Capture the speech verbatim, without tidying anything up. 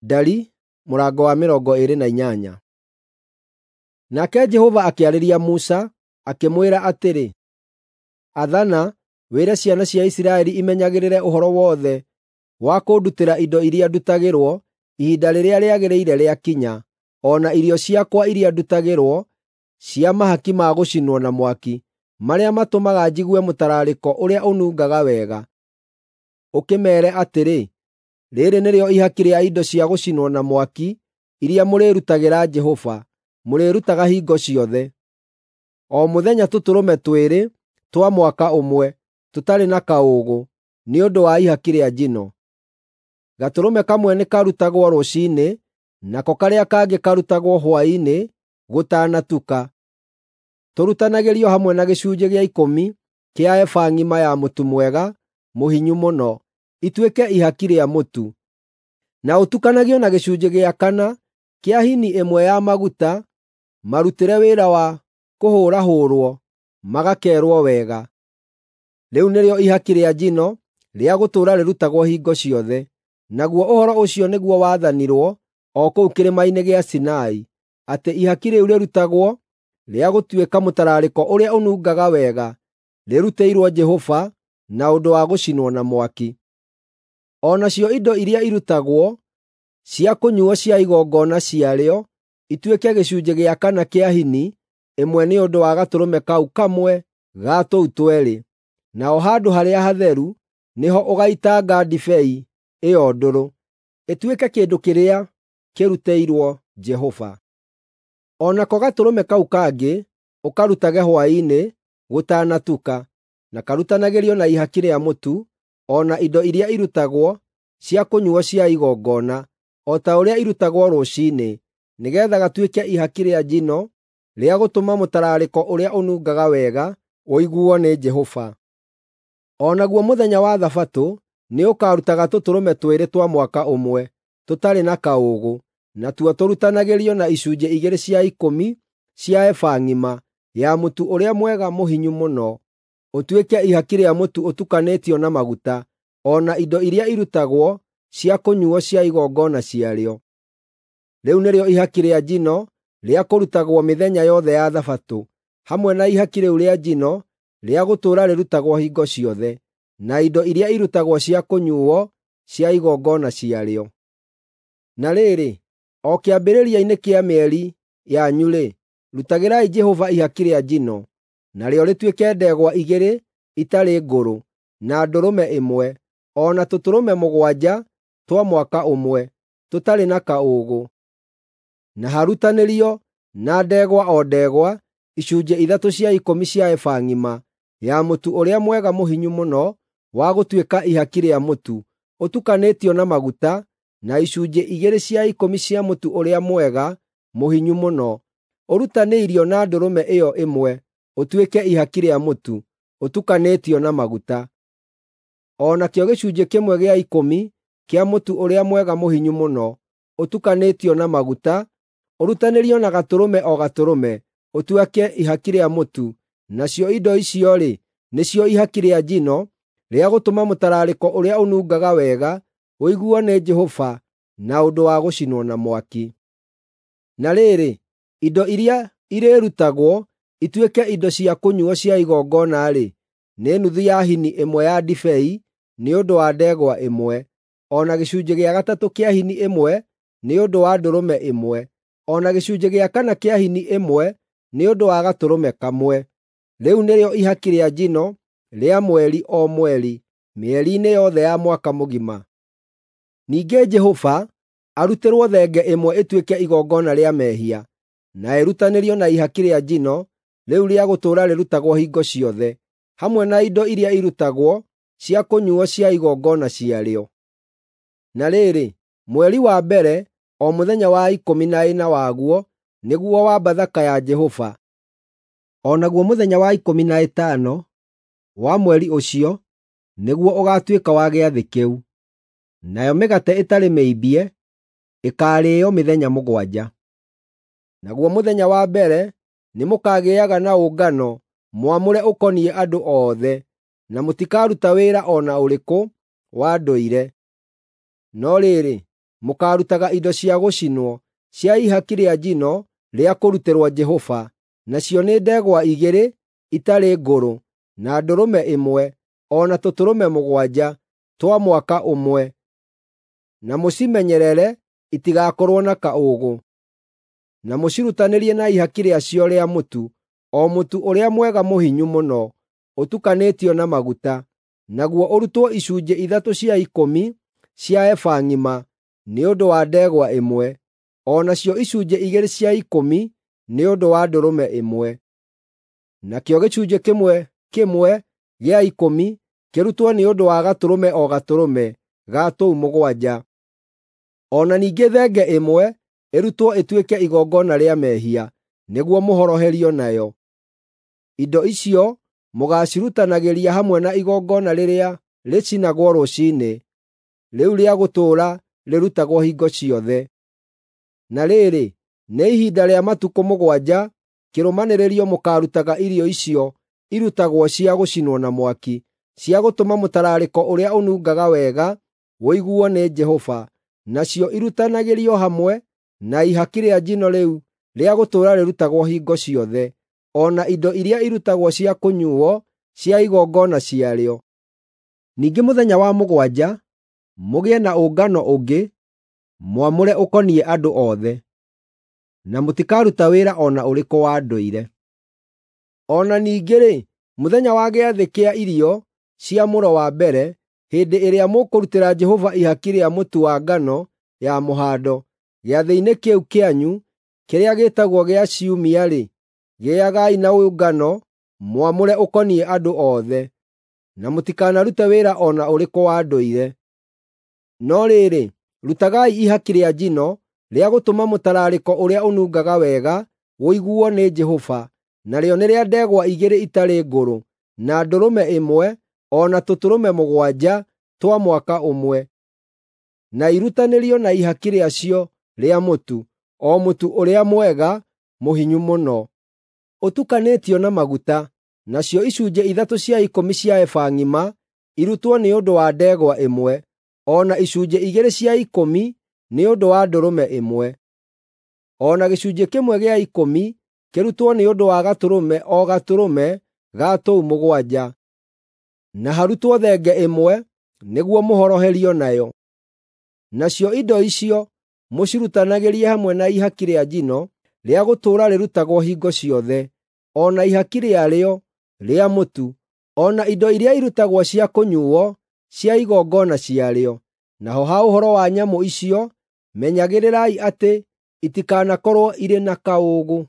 Ndari mũrango wa mĩrongo ĩĩrĩ na inyanya. Nake Jehova akĩarĩria Musa, akĩmwĩra atĩrĩ, “Athana, wĩre ciana cia Isiraeli imenyagĩrĩre ũhoro wothe wa kũndutĩra indo iria ndutagĩrwo ihinda rĩrĩa rĩagĩrĩire rĩakinya, o na irio ciakwa iria ndutagĩrwo cia mahaki ma gũcinwo na mwaki, marĩa matũmaga njigue mũtararĩko ũrĩa ũnungaga wega.” Ũkĩmeere atĩrĩ, “Rĩĩrĩ nĩrĩo ihaki rĩa indo cia gũcinwo na mwaki iria mũrĩrutagĩra Jehova, mũrĩrutaga hingo ciothe. O mũthenya tũtũrũme twĩrĩ twa mwaka ũmwe, tũtarĩ na kaũũgũ, nĩ ũndũ wa ihaki rĩa njino. Gatũrũme kamwe nĩkarutagwo rũciinĩ, nako karĩa kangĩ karutagwo hwaĩ-inĩ gũtanatuka. Tũrutanagĩrio hamwe na gĩcunjĩ gĩa ikũmi kĩa eba ng'ima ya mũtu mwega mũhinyu mũno, ituĩke ihaki rĩa mũtu, na ũtukanagio na gĩcunjĩ gĩa kana kĩa hini ĩmwe ya maguta marutĩre wĩra wa kũhũrahũrwo magakeerwo wega. Rĩu nĩrĩo ihaki rĩa njino rĩa gũtũũra rĩrutagwo hingo ciothe. Naguo ũhoro ũcio nĩguo waathanirwo o kũu kĩrĩma-inĩ gĩa Sinai, atĩ ihaki rĩu rĩrutagwo rĩa gũtuĩka mũtararĩko ũrĩa ũnungaga wega, rĩrutĩirwo Jehova na ũndũ wa gũcinwo na mwaki. O nacio indo iria irutagwo cia kũnyuuo cia igongona ciarĩo ituĩke gĩcunjĩ gĩa kana kĩa hini ĩmwe nĩ ũndũ wa gatũrũme kau kamwe ga tũu tweerĩ, naho handũ harĩa hatheru nĩho ũgaitanga ndibei ĩyo ndũrũ, ĩtuĩke kĩndũ kĩrĩa kĩrutĩirwo Jehova. O nako gatũrũme kau kangĩ ũkarutage hwaĩ-inĩ gũtanatuka, na karutanagĩrio na ihaki rĩa mũtu, o na indo iria irutagwo cia kũnyuuo cia igongona, o ta ũrĩa irutagwo rũciinĩ, nĩgeetha gatuĩke ihaki rĩa njino rĩa gũtũma mũtararĩko ũrĩa ũnungaga wega ũiguo nĩ Jehova. O naguo mũthenya wa Thabatũ nĩũkarutaga tũtũrũme twĩrĩ twa mwaka ũmwe, tũtarĩ na kaũũgũ, natuo tũrutanagĩrio na icunjĩ igĩrĩ cia ikũmi cia eba ng'ima ya mũtu ũrĩa mwega mũhinyu mũno, ũtuĩke ihaki rĩa mũtu ũtukanĩtio na maguta, o na indo iria irutagwo cia kũnyuuo cia igongona ciarĩo. Rĩu nĩrĩo ihaki rĩa njino rĩa kũrutagwo mĩthenya yothe ya Thabatũ, hamwe na ihaki rĩu rĩa njino rĩa gũtũũra rĩrutagwo hingo ciothe, na indo iria irutagwo cia kũnyuuo cia igongona ciarĩo. Na rĩrĩ, o kĩambĩrĩria-inĩ kĩa mĩeri yanyu-rĩ, rutagĩrai Jehova ihaki rĩa njino, narĩo rĩtuĩke ndegwa igĩrĩ itarĩ ngũrũ, na ndũrũme ĩmwe, o na tũtũrũme mũgwanja twa mwaka ũmwe, tũtarĩ na kaũũgũ. Na harutanĩrio na ndegwa o ndegwa icunjĩ ithatũ cia ikũmi cia eba ng'ima ya mũtu ũrĩa mwega mũhinyu mũno wa gũtuĩka ihaki rĩa mũtu, ũtukanĩtio na maguta, na icunjĩ igĩrĩ cia ikũmi cia mũtu ũrĩa mwega mũhinyu mũno, ũrutanĩirio na ndũrũme ĩyo ĩmwe ũtuĩke ihaki rĩa mũtu, ũtukanĩtio na maguta. O nakĩo gĩcunjĩ kĩmwe gĩa ikũmi kĩa mũtu ũrĩa mwega mũhinyu mũno, ũtukanĩtio na maguta, ũrutanĩrio na gatũrũme o gatũrũme, ũtuĩke ihaki rĩa mũtu, nacio indo icio-rĩ, nĩcio ihaki rĩa njino rĩa gũtũma mũtararĩko ũrĩa ũnungaga wega ũiguo nĩ Jehova na ũndũ wa gũcinwo na mwaki. Na rĩrĩ, indo iria irĩrutagwo ituĩke indo cia kũnyuuo cia igongona-rĩ, nĩ nuthu ya hini ĩmwe ya ndibei nĩ ũndũ wa ndegwa ĩmwe, o na gĩcunjĩ gĩa gatatũ kĩa hini ĩmwe nĩ ũndũ wa ndũrũme ĩmwe, o na gĩcunjĩ gĩa kana kĩa hini ĩmwe nĩ ũndũ wa gatũrũme kamwe. Rĩu nĩrĩo ihaki rĩa njino rĩa mweri o mweri, mĩeri-inĩ yothe ya mwaka mũgima. Ningĩ Jehova arutĩrwo thenge ĩmwe ĩtuĩke igongona rĩa mehia, na ĩrutanĩrio na ihaki rĩa njino rĩu rĩa gũtũũra rĩrutagwo hingo ciothe, hamwe na indo iria irutagwo cia kũnyuuo cia igongona ciarĩo. Na rĩrĩ, mweri wa mbere, o mũthenya wa ikũmi na ĩna waguo, nĩguo wa Bathaka ya Jehova. O naguo mũthenya wa ikũmi na ĩtano wa mweri ũcio nĩguo ũgaatuĩka wa gĩathĩ kĩu. Nayo mĩgate ĩtarĩ mĩimbie ĩkaarĩĩo mĩthenya mũgwanja. Naguo mũthenya wa mbere nĩmũkagĩaga na ũngano mwamũre ũkoniĩ andũ othe, na mũtikaruta wĩra o na ũrĩkũ wa ndũire. No rĩrĩ, mũkaarutaga indo cia gũcinwo, cia ihaki rĩa njino rĩa kũrutĩrwo Jehova, nacio nĩ ndegwa igĩrĩ itarĩ ngũrũ, na ndũrũme ĩmwe, o na tũtũrũme mũgwanja twa mwaka ũmwe, na mũcimenyerere itigakorwo na kaũũgũ. Na mũcirutanĩrie na ihaki rĩacio rĩa mũtu, o mũtu ũrĩa mwega mũhinyu mũno, ũtukanĩtio na maguta, naguo ũrutwo icunjĩ ithatũ cia ikũmi cia eba ng'ima nĩ ũndũ wa ndegwa ĩmwe, o nacio icunjĩ igĩrĩ cia ikũmi nĩ ũndũ wa ndũrũme ĩmwe. Nakĩo gĩcunjĩ kĩmwe kĩmwe gĩa ikũmi kĩrutwo nĩ ũndũ wa gatũrũme o gatũrũme ga tũu mũgwanja. O na ningĩ thenge ĩmwe ĩrutwo ĩtuĩke igongona rĩa mehia, nĩguo mũhoroherio nayo. Indo icio mũgaacirutanagĩria hamwe na igongona rĩrĩa rĩcinagwo rũciinĩ, rĩu rĩa gũtũũra rĩrutagwo hingo ciothe. Na rĩrĩ, nĩ ihinda rĩa matukũ mũgwanja kĩrũmanĩrĩrio mũkaarutaga irio icio irutagwo cia gũcinwo na mwaki, cia gũtũma mũtararĩko ũrĩa ũnungaga wega ũiguo nĩ Jehova, nacio irutanagĩrio hamwe na ihaki rĩa njino rĩu rĩa gũtũũra rĩrutagwo hingo ciothe, o na indo iria irutagwo cia kũnyuuo cia igongona ciarĩo. Ningĩ mũthenya wa mũgwanja mũgĩe na ũngano ũngĩ mwamũre ũkoniĩ andũ othe, na mũtikaruta wĩra o na ũrĩkũ wa ndũire. O na ningĩ-rĩ, mũthenya wa gĩathĩ kĩa irio cia mũro wa mbere, hĩndĩ ĩrĩa mũkũrutĩra Jehova ihaki rĩa mũtu wa ngano ya mũhando, gĩathĩ-inĩ kĩu kĩanyu kĩrĩa gĩĩtagwo gĩa Ciumia-rĩ, gĩagai na ũngano mwamũre ũkoniĩ andũ othe, na mũtikanarute wĩra o na ũrĩkũ wa ndũire. No rĩrĩ, rutagai ihaki rĩa njino rĩa gũtũma mũtararĩko ũrĩa ũnungaga wega ũiguo nĩ Jehova, narĩo nĩ rĩa ndegwa igĩrĩ itarĩ ngũrũ, na ndũrũme ĩmwe, o na tũtũrũme mũgwanja twa mwaka ũmwe, na irutanĩrio na ihaki rĩacio rĩa mũtu, o mũtu ũrĩa mwega mũhinyu mũno, ũtukanĩtio na maguta, nacio icunjĩ ithatũ cia ikũmi cia eba ng'ima irutwo nĩ ũndũ wa ndegwa ĩmwe, o na icunjĩ igĩrĩ cia ikũmi nĩ ũndũ wa ndũrũme ĩmwe, o na gĩcunjĩ kĩmwe gĩa ikũmi kĩrutwo nĩ ũndũ wa gatũrũme o gatũrũme ga tũu mũgwanja, na harutwo thenge ĩmwe nĩguo mũhoroherio nayo. Nacio indo icio mũcirutanagĩrie hamwe na ihaki rĩa njino rĩa gũtũũra rĩrutagwo hingo ciothe, o na ihaki rĩarĩo rĩa mũtu, o na indo iria irutagwo cia kũnyuuo cia igongona ciarĩo. Naho ha ũhoro wa nyamũ icio, menyagĩrĩrai atĩ itikanakorwo irĩ na kaũũgũ.